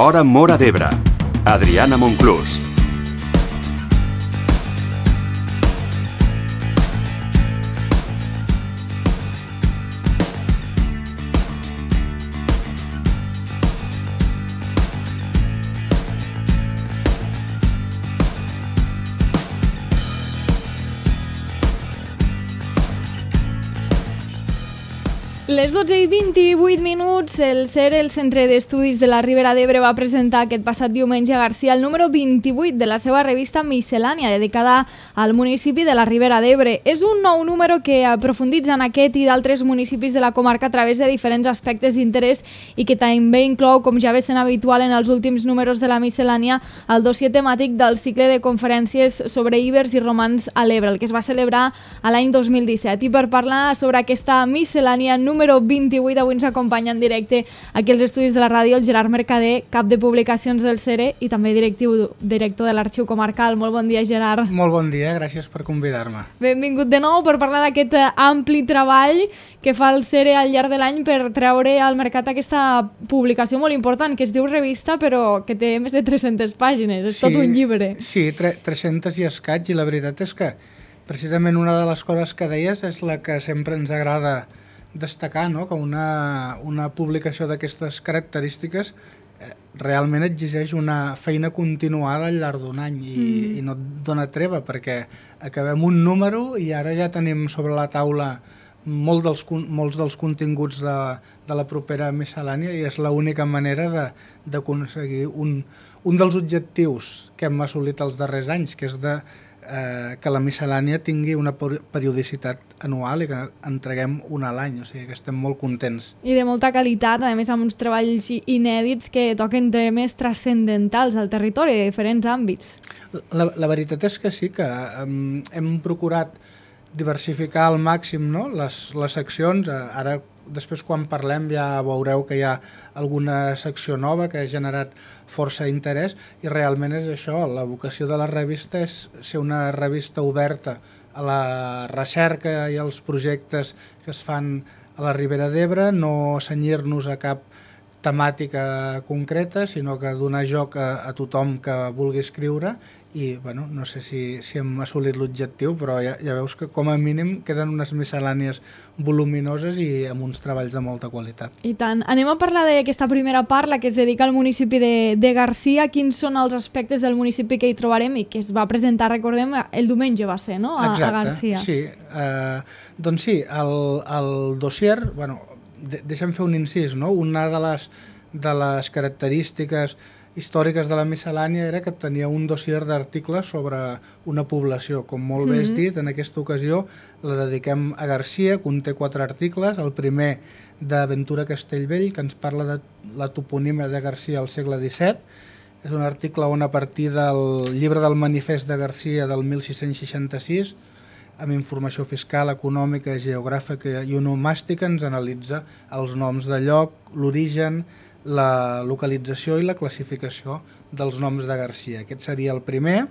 Hora Móra d'Ebre. Adriana Monclús. Les 12:28, el CERE, el Centre d'Estudis de la Ribera d'Ebre, va presentar aquest passat diumenge a Garcia el número 28 de la seva revista Miscel·lània, dedicada al municipi de la Ribera d'Ebre. És un nou número que aprofunditza en aquest i d'altres municipis de la comarca a través de diferents aspectes d'interès i que també inclou, com ja ve sent habitual en els últims números de la Miscel·lània, el dossier temàtic del cicle de conferències sobre ibers i romans a l'Ebre, el que es va celebrar a l'any 2017. I per parlar sobre aquesta Miscel·lània número 28, avui ens acompanya en directe aquí als estudis de la ràdio el Gerard Mercader, cap de publicacions del CERE i també director de l'Arxiu Comarcal. Molt bon dia, Gerard. Molt bon dia, gràcies per convidar-me. Benvingut de nou per parlar d'aquest ampli treball que fa el CERE al llarg de l'any per treure al mercat aquesta publicació molt important que es diu Revista, però que té més de 300 pàgines, és tot un llibre. Sí, 300 i escaig, i la veritat és que precisament una de les coses que deies és la que sempre ens agrada destacar, no? Que una publicació d'aquestes característiques realment exigeix una feina continuada al llarg d'un any i no et dona treva, perquè acabem un número i ara ja tenim sobre la taula molts dels continguts de la propera miscel·lània, i és l'única manera d'aconseguir un dels objectius que hem assolit els darrers anys, que és que la miscel·lània tingui una periodicitat anual i que entreguem una a l'any, o sigui que estem molt contents. I de molta qualitat, a més amb uns treballs inèdits que toquen temes transcendentals al territori de diferents àmbits. La veritat és que sí, que hem procurat diversificar al màxim, no? les seccions. Ara, després quan parlem ja veureu que hi ha alguna secció nova que ha generat força interès, i realment és això, la vocació de la revista és ser una revista oberta a la recerca i als projectes que es fan a la Ribera d'Ebre, no cenyir-nos a cap temàtica concreta, sinó que donar joc a tothom que vulgui escriure. I bueno, no sé si hem assolit l'objectiu, però ja veus que com a mínim queden unes miscel·lànies voluminoses i amb uns treballs de molta qualitat. I tant. Anem a parlar d'aquesta primera part, la que es dedica al municipi de Garcia. Quins són els aspectes del municipi que hi trobarem i que es va presentar, recordem, el diumenge va ser, no? A Garcia. Sí. Doncs sí, el dossier, bueno, deixa'm fer un incís, no? Una de les característiques històriques de la miscel·lània era que tenia un dossier d'articles sobre una població. Com molt bé has dit, en aquesta ocasió la dediquem a Garcia, conté 4 articles. El primer d'Aventura Castellvell, que ens parla de la toponímia de Garcia al segle XVII. És un article on, a partir del llibre del manifest de Garcia del 1666, amb informació fiscal, econòmica, geogràfica i onomàstica, ens analitza els noms de lloc, l'origen, la localització i la classificació dels noms de Garcia. Aquest seria el primer.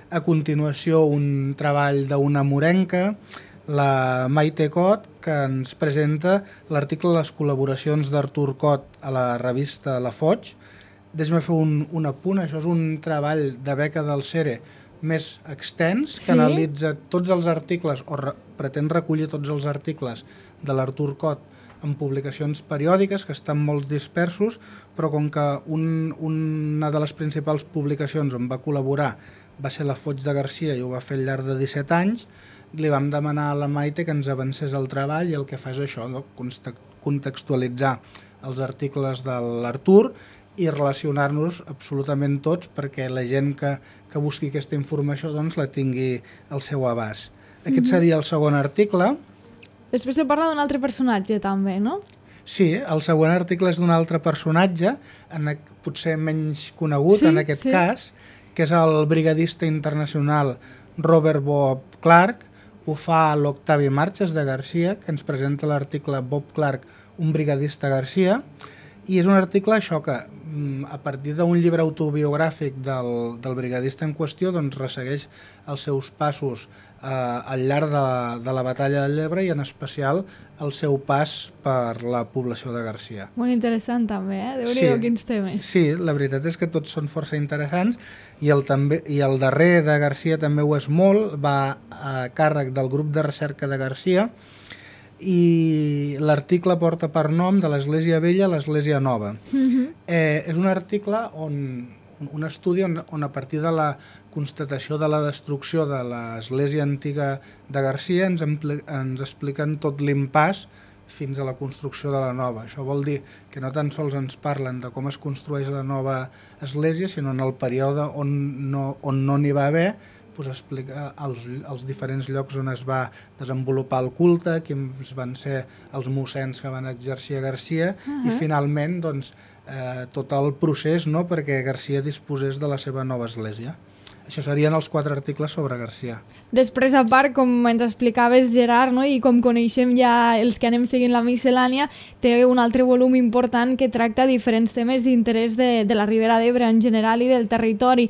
A continuació, un treball d'una morenca, la Maite Cot, que ens presenta l'article Les col·laboracions d'Artur Cot a la revista La Foig. Deixa'm fer un apunt, això és un treball de beca del CERE més extens, que analitza tots els articles, o pretén recollir tots els articles de l'Artur Cot en publicacions periòdiques, que estan molt dispersos, però com que una de les principals publicacions on va col·laborar va ser la Foig de Garcia i ho va fer al llarg de 17 anys, li vam demanar a la Maite que ens avancés el treball, i el que fa és això, no? Contextualitzar els articles de l'Artur i relacionar-nos absolutament tots perquè la gent que busqui aquesta informació doncs la tingui al seu abast. Aquest seria el segon article. Després se parla d'un altre personatge també, no? Sí, el següent article és d'un altre personatge, potser menys conegut en aquest cas, que és el brigadista internacional Robert Bob Clark. Ho fa l'Octavi Marches de Garcia, que ens presenta l'article Bob Clark, un brigadista a Garcia, I és un article, això, que a partir d'un llibre autobiogràfic del brigadista en qüestió, doncs ressegueix els seus passos al llarg de la batalla del Llebre i en especial el seu pas per la població de Garcia. Molt interessant també, Déu-n'hi-do quins temes. Sí, la veritat és que tots són força interessants i el darrer de Garcia també ho és molt, va a càrrec del grup de recerca de Garcia i l'article porta per nom de l'Església Vella a l'Església Nova. És un article un estudi on a partir de la constatació de la destrucció de l'església antiga de Garcia ens expliquen tot l'impàs fins a la construcció de la nova. Això vol dir que no tan sols ens parlen de com es construeix la nova església, sinó en el període on no n'hi va haver, doncs explica els diferents llocs on es va desenvolupar el culte, quins van ser els mossens que van exercir a Garcia i finalment doncs, tot el procés, no?, perquè Garcia disposés de la seva nova església. Això serien els 4 articles sobre Garcia. Després, a part, com ens explicaves, Gerard, no? I com coneixem ja els que anem seguint la miscel·lània, té un altre volum important que tracta diferents temes d'interès de la Ribera d'Ebre en general i del territori.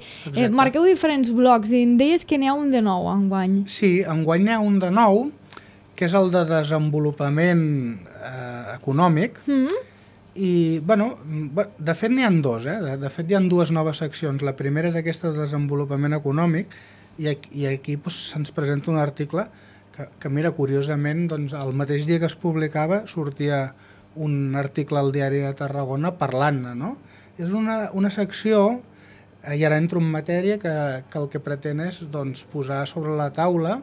Marqueu diferents blocs i em deies que n'hi ha un de nou enguany. Sí, enguany n'hi ha un de nou, que és el de desenvolupament econòmic. I, bueno, de fet n'hi ha 2, de fet hi ha 2 noves seccions. La primera és aquesta de desenvolupament econòmic i aquí se'ns presenta un article que mira, curiosament, doncs, el mateix dia que es publicava sortia un article al Diari de Tarragona parlant-ne, no? És una secció, i ara entro en matèria, que el que pretén és doncs, posar sobre la taula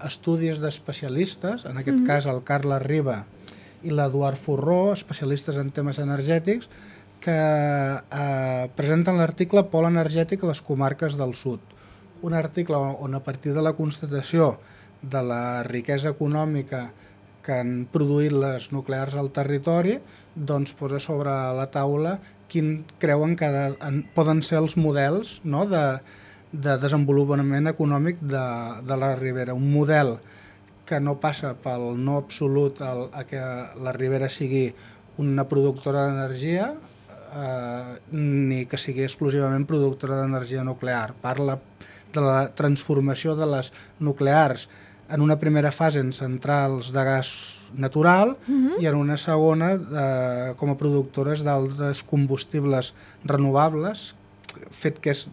estudis d'especialistes, en aquest cas el Carles Riba i l'Eduard Forró, especialistes en temes energètics, que presenten l'article Pol energètic a les comarques del sud. Un article on a partir de la constatació de la riquesa econòmica que han produït les nuclears al territori, doncs posa sobre la taula quin creuen que poden ser els models, no?, de desenvolupament econòmic de la Ribera. Un model que no passa pel no absolut a que la Ribera sigui una productora d'energia ni que sigui exclusivament productora d'energia nuclear. Parla de la transformació de les nuclears en una primera fase en centrals de gas natural i en una segona com a productores d'altres combustibles renovables, fet que és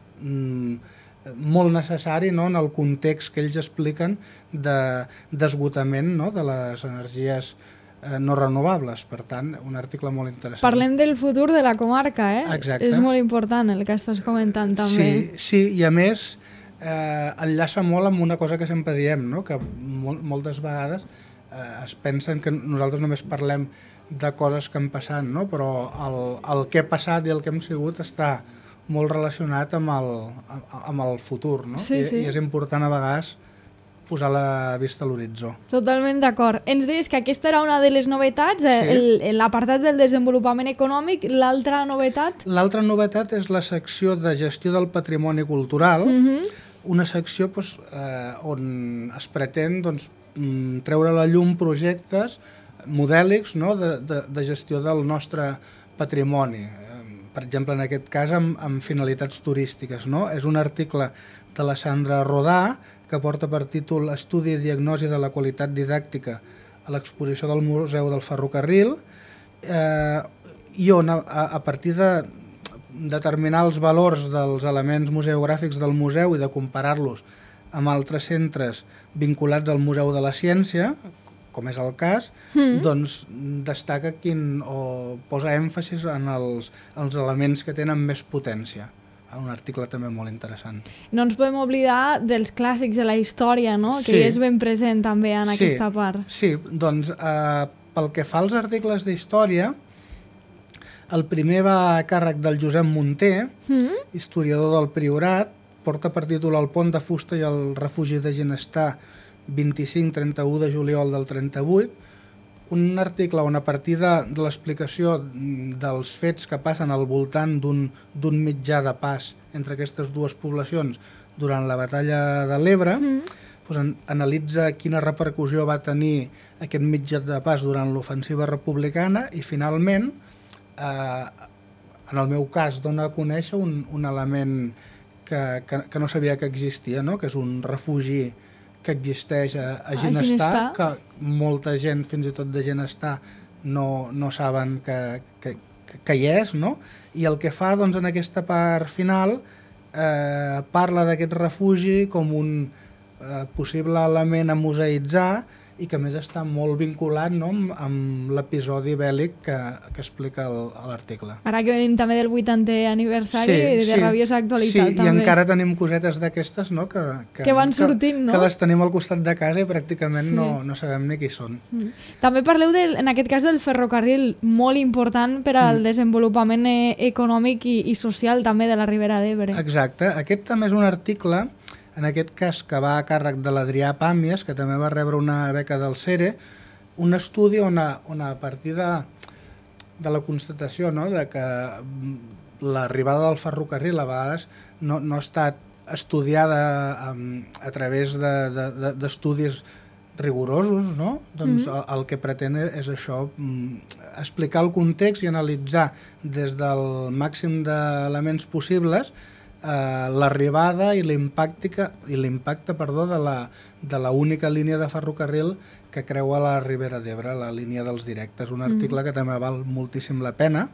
molt necessari, no?, en el context que ells expliquen d'esgotament, no?, de les energies no renovables. Per tant, un article molt interessant. Parlem del futur de la comarca, Exacte. És molt important el que estàs comentant també. Sí, i a més enllaça molt amb una cosa que sempre diem, no?, que moltes vegades es pensen que nosaltres només parlem de coses que han passat, no?, però el que ha passat i el que hem sigut està molt relacionat amb el futur, no? Sí. I és important a vegades posar la vista a l'horitzó. Totalment d'acord. Ens deies que aquesta era una de les novetats, l'apartat del desenvolupament econòmic. L'altra novetat? L'altra novetat és la secció de gestió del patrimoni cultural, una secció on es pretén treure a la llum projectes modèlics, no?, de gestió del nostre patrimoni. Per exemple, en aquest cas, amb finalitats turístiques, no? És un article de la Sandra Rodà que porta per títol Estudi i diagnosi de la qualitat didàctica a l'exposició del Museu del Ferrocarril i on, a partir de determinar els valors dels elements museogràfics del museu i de comparar-los amb altres centres vinculats al Museu de la Ciència, com és el cas, doncs destaca o posa èmfasis en els elements que tenen més potència. Un article també molt interessant. No ens podem oblidar dels clàssics de la història, no?, que és ben present també en aquesta part. Sí, doncs pel que fa als articles d'història, el primer va a càrrec del Josep Munter, historiador del Priorat, porta per títol El pont de fusta i el refugi de Ginestar, 25-31 de juliol del 38, un article on a partir de l'explicació dels fets que passen al voltant d'un mitjà de pas entre aquestes dues poblacions durant la batalla de l'Ebre, analitza quina repercussió va tenir aquest mitjà de pas durant l'ofensiva republicana i finalment en el meu cas, dona a conèixer un element que no sabia que existia, no? Que és un refugi que existeix a Ginestar, que molta gent, fins i tot de Ginestar, no saben que hi és, no? I el que fa, doncs, en aquesta part final, parla d'aquest refugi com un possible element a museïtzar i que a més està molt vinculat, no?, amb l'episodi bèl·lic que explica l'article. Ara que venim també del 80è aniversari, de rabiosa actualitat. Sí, també. I encara tenim cosetes d'aquestes, no?, que van sortint, no? Que les tenim al costat de casa i pràcticament no sabem ni qui són. També parleu, en aquest cas, del ferrocarril, molt important per al desenvolupament econòmic i social també de la Ribera d'Ebre. Exacte. Aquest també és un article, en aquest cas que va a càrrec de l'Adrià Pàmies, que també va rebre una beca del CERE, un estudi on a partir de la constatació, no?, de que l'arribada del ferrocarril a vegades no ha estat estudiada a través d'estudis rigorosos, no? Doncs el que pretén és això, explicar el context i analitzar des del màxim d'elements possibles l'arribada i l'impacte de la única línia de ferrocarril que creua la Ribera d'Ebre, la línia dels directes. Un article que també val moltíssim la pena.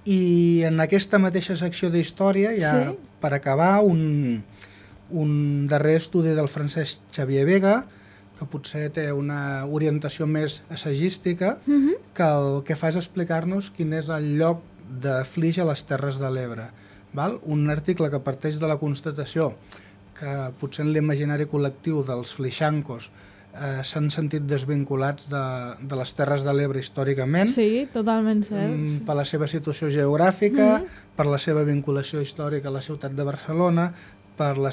I en aquesta mateixa secció d'història, ja per acabar, un darrer estudi del Francesc Xavier Vega, que potser té una orientació més assagística, que el que fa és explicar-nos quin és el lloc de Flix a les Terres de l'Ebre. Un article que parteix de la constatació que potser en l'imaginari col·lectiu dels flixancos s'han sentit desvinculats de les Terres de l'Ebre històricament. Sí, totalment cert. Per la seva situació geogràfica, per la seva vinculació històrica a la ciutat de Barcelona, pel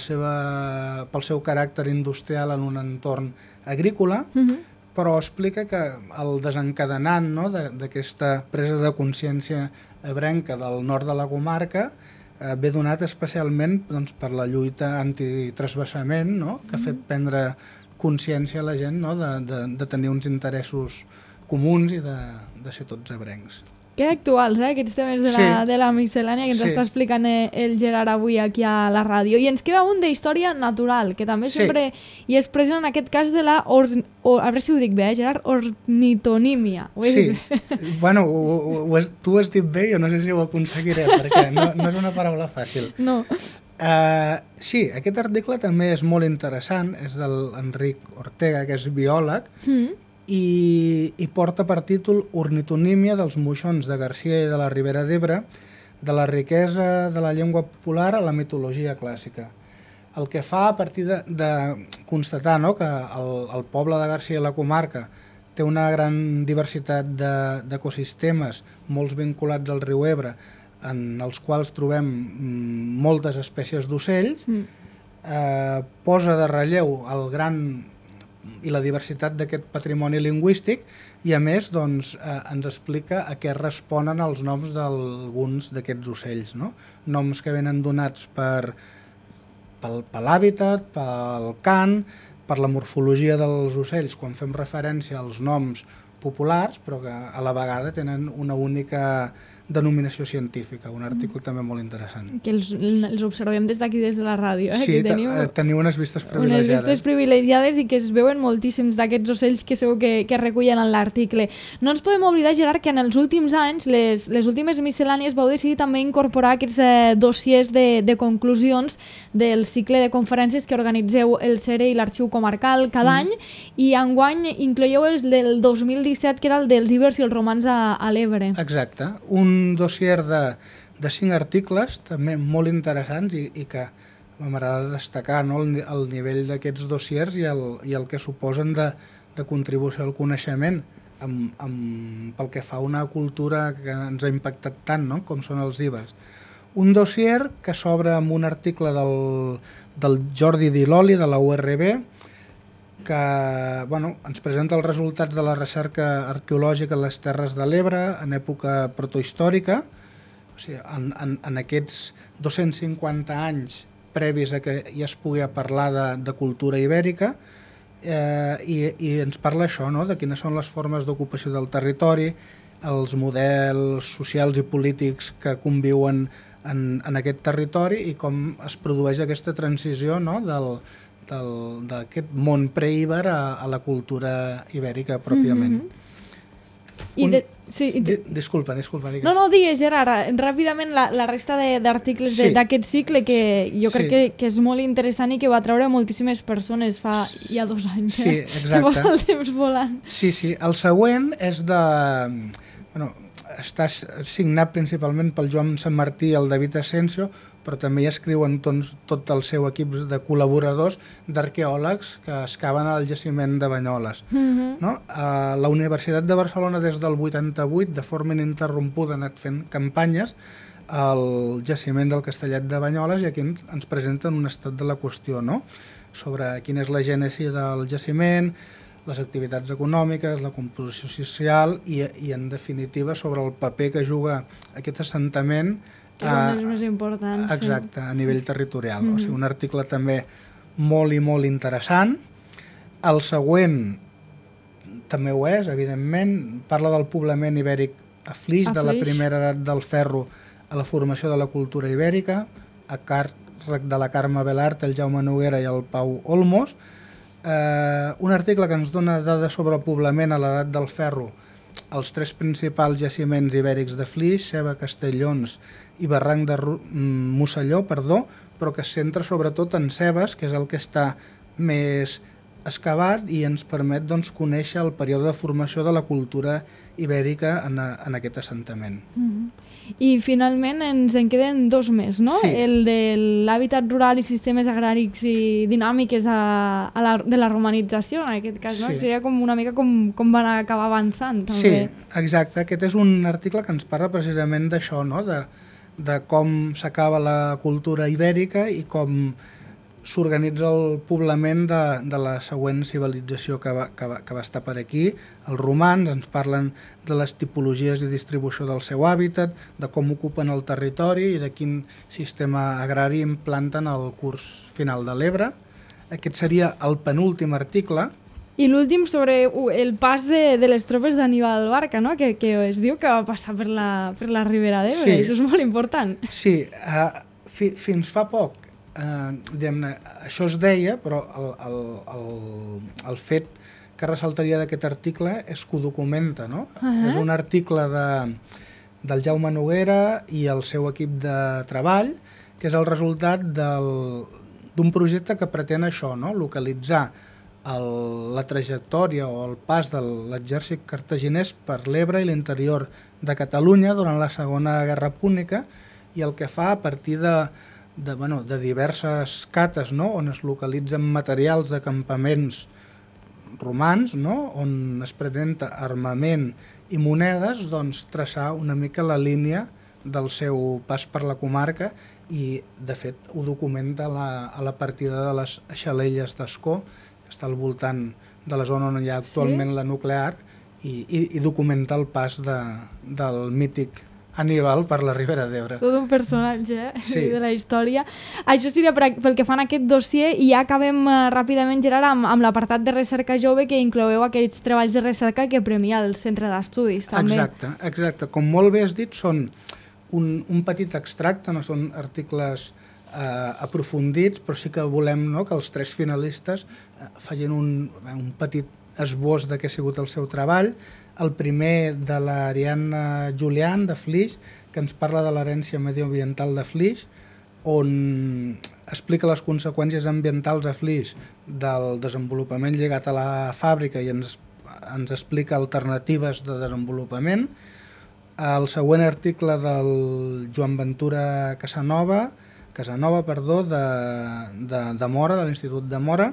seu caràcter industrial en un entorn agrícola, però explica que el desencadenant, no?, d'aquesta presa de consciència ebrenca del nord de la comarca ve donat especialment, doncs, per la lluita antitransvasament, no?, que ha fet prendre consciència a la gent, no?, de tenir uns interessos comuns i de ser tots ebrencs. Que actuals, aquests temes de la miscel·lània que ens està explicant el Gerard avui aquí a la ràdio. I ens queda un d'història natural, que també sempre hi és present en aquest cas de la, a veure si ho dic bé, Gerard, ornitonímia. Sí, bueno, tu ho has dit bé, jo no sé si ho aconseguiré, perquè no és una paraula fàcil. No. Sí, aquest article també és molt interessant, és de l'Enric Ortega, que és biòleg, i porta per títol Ornitonímia dels moixons de Garcia i de la Ribera d'Ebre, de la riquesa de la llengua popular a la mitologia clàssica. El que fa a partir de constatar, no?, que el poble de Garcia i la comarca té una gran diversitat d'ecosistemes, molts vinculats al riu Ebre, en els quals trobem moltes espècies d'ocells, posa de relleu el gran i la diversitat d'aquest patrimoni lingüístic i, a més, doncs, ens explica a què responen els noms d'alguns d'aquests ocells, no? Noms que venen donats per l'hàbitat, pel cant, per la morfologia dels ocells, quan fem referència als noms populars, però que a la vegada tenen una única denominació científica, un article també molt interessant. Que els observem des d'aquí, des de la ràdio. Sí, teniu unes vistes privilegiades. Unes vistes privilegiades i que es veuen moltíssims d'aquests ocells que segur que recullen en l'article. No ens podem oblidar, Gerard, que en els últims anys, les últimes miscel·lànies, vau decidir també incorporar aquests dossiers de conclusions del cicle de conferències que organitzeu el CERE i l'Arxiu Comarcal cada any, i enguany incloieu el del 2017, que era el dels ibers i els romans a l'Ebre. Exacte. Un dossier de 5 articles, també molt interessants i que m'agrada destacar, no?, el nivell d'aquests dossiers i el que suposen de contribució al coneixement pel que fa a una cultura que ens ha impactat tant, no?, com són els ibers. Un dossier que s'obre amb un article del Jordi Diloli de la URB, que ens presenta els resultats de la recerca arqueològica en les Terres de l'Ebre en època protohistòrica, o sigui, en aquests 250 anys previs a que ja es pugui parlar de cultura ibèrica, i ens parla això, no?, de quines són les formes d'ocupació del territori, els models socials i polítics que conviuen en aquest territori i com es produeix aquesta transició, no?, d'aquest món preíber a la cultura ibèrica pròpiament. Disculpa, digues. No, digues, Gerard, ràpidament la resta d'articles d'aquest cicle que jo crec que és molt interessant i que va treure moltíssimes persones fa ja 2 anys. Sí, exacte. Que va el temps volant. Sí, el següent és de... Bueno, està signat principalment pel Joan Sanmartí i el David Asensio, però també hi escriuen tot el seu equip de col·laboradors d'arqueòlegs que excaven al jaciment de Banyoles. No? La Universitat de Barcelona des del 88, de forma ininterrompuda, ha anat fent campanyes al jaciment del Castellet de Banyoles i aquí ens presenten un estat de la qüestió, no?, sobre quina és la gènesi del jaciment, les activitats econòmiques, la composició social i en definitiva sobre el paper que juga aquest assentament més important, exacte, a nivell territorial. O sigui, un article també molt i molt interessant. El següent també ho és, evidentment, parla del poblament ibèric a Flix, de la primera edat del ferro a la formació de la cultura ibèrica, a càrrec de la Carme Belart, el Jaume Noguera i el Pau Olmos. Un article que ens dona dades sobre el poblament a l'edat del ferro, els 3 principals jaciments ibèrics de Flix, Ceba, Castellons i Barranc de Mosselló, però que es centra sobretot en Cebes, que és el que està més excavat i ens permet conèixer el període de formació de la cultura ibèrica en aquest assentament. I finalment ens en queden 2 més, no? Sí. El de l'hàbitat rural i sistemes agràrics i dinàmiques de la romanització, en aquest cas, no? Sí. Seria com una mica com van acabar avançant, també. Sí, exacte. Aquest és un article que ens parla precisament d'això, no?, de com s'acaba la cultura ibèrica i com s'organitza el poblament de la següent civilització que va estar per aquí. Els romans ens parlen de les tipologies i distribució del seu hàbitat, de com ocupen el territori i de quin sistema agrari implanten al curs final de l'Ebre. Aquest seria el penúltim article. I l'últim sobre el pas de les tropes d'Aníbal Barca, no? Que es diu que va passar per la Ribera d'Ebre. Sí. Això és molt important. Sí, fins fa poc això es deia, però el fet que ressaltaria d'aquest article és que ho documenta, no? És un article del Jaume Noguera i el seu equip de treball, que és el resultat d'un projecte que pretén això, no?, localitzar la trajectòria o el pas de l'exèrcit cartaginès per l'Ebre i l'interior de Catalunya durant la Segona Guerra Púnica, i el que fa a partir de diverses cates, no?, on es localitzen materials de campaments romans, no?, on es presenta armament i monedes, traçar una mica la línia del seu pas per la comarca i, de fet, ho documenta a la partida de les Xalelles d'Ascó, que està al voltant de la zona on hi ha actualment la nuclear, i documenta el pas del mític Aníbal per la Ribera d'Ebre. Tot un personatge sí, de la història. Això seria pel que fan aquest dossier, i ja acabem ràpidament, Gerard, amb l'apartat de recerca jove, que incloeu aquests treballs de recerca que premia el Centre d'Estudis, també. Exacte. Com molt bé has dit, són un petit extracte, no són articles aprofundits, però sí que volem, no?, que els 3 finalistes facin un petit esbós de què ha sigut el seu treball. El primer de l'Ariadna Julián, de Flix, que ens parla de l'herència medioambiental de Flix, on explica les conseqüències ambientals a Flix del desenvolupament lligat a la fàbrica i ens explica alternatives de desenvolupament. El següent article del Joan Ventura Casanova, de Mora, de l'Institut de Mora,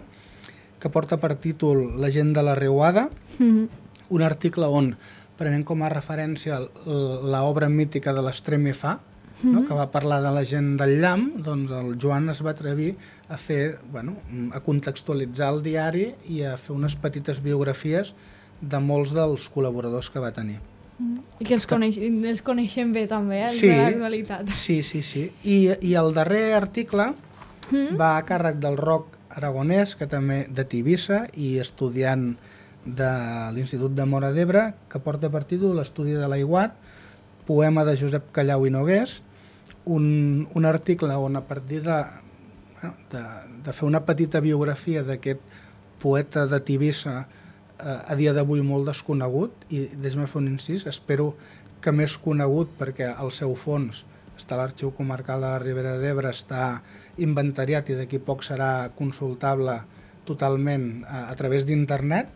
que porta per títol La gent de la Riuada, un article on prenem com a referència l'obra mítica de l'Estremifà, no?, que va parlar de la gent del llamp. Doncs el Joan es va atrevir a a contextualitzar el diari i a fer unes petites biografies de molts dels col·laboradors que va tenir. I que els coneixem bé també, de l'actualitat. Sí. I el darrer article va a càrrec del Roc Aragonès, que també de Tivissa i estudiant de l'Institut de Móra d'Ebre, que porta per títol L'estudi de l'aiguat, poema de Josep Callau i Nogués, un article on a partir de fer una petita biografia d'aquest poeta de Tivissa a dia d'avui molt desconegut, i deixa'm fer un incís, espero que més conegut perquè al seu fons està l'Arxiu Comarcal de la Ribera d'Ebre, està inventariat i d'aquí poc serà consultable totalment a través d'internet.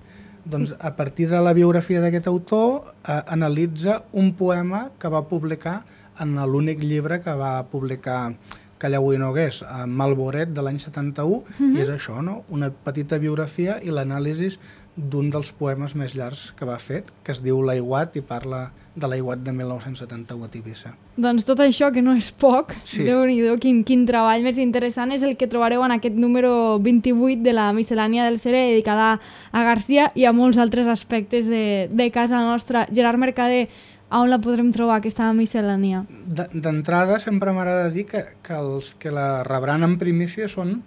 Doncs a partir de la biografia d'aquest autor analitza un poema que va publicar en l'únic llibre que va publicar Callau i Nogués, Malboret, de l'any 71, i és això, no? Una petita biografia i l'anàlisi d'un dels poemes més llargs que va fer, que es diu L'aiguat, i parla de l'aiguat de 1971 a Tivissa. Doncs tot això, que no és poc, sí. Déu-n'hi-do, quin treball més interessant, és el que trobareu en aquest número 28 de la Miscel·lània del Cere, dedicada a Garcia i a molts altres aspectes de casa nostra. Gerard Mercader, a on la podrem trobar, aquesta miscel·lània? D'entrada, sempre m'agrada dir que els que la rebran en primícia són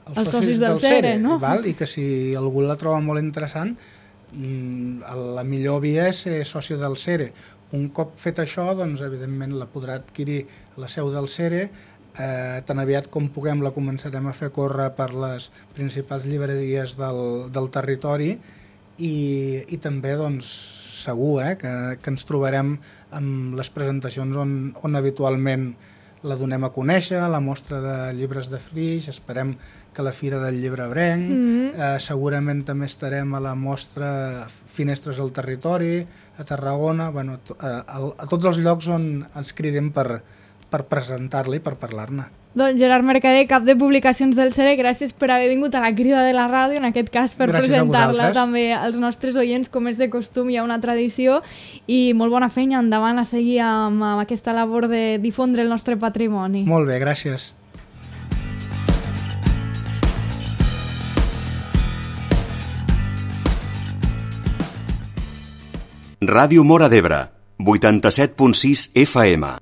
els socis del Cere, no? Val? I que si algú la troba molt interessant, la millor via és ser soci del Cere. Un cop fet això, doncs, evidentment la podrà adquirir a la seu del Cere. Tan aviat com puguem la començarem a fer córrer per les principals llibreries del territori i també, doncs, segur que ens trobarem amb les presentacions on habitualment la donem a conèixer, la mostra de llibres de Flix, esperem que la Fira del Llibre Ebrenc, segurament també estarem a la mostra Finestres al Territori, a Tarragona, bueno, a tots els llocs on ens cridem per presentar-la i per parlar-ne. Doncs Gerard Mercader, cap de publicacions del Cere, gràcies per haver vingut a la crida de la ràdio, en aquest cas per presentar-la també als nostres oients, com és de costum, hi ha una tradició, i molt bona feina, endavant a seguir amb aquesta labor de difondre el nostre patrimoni. Molt bé, gràcies. Ràdio Móra d'Ebre, 87.6 FM.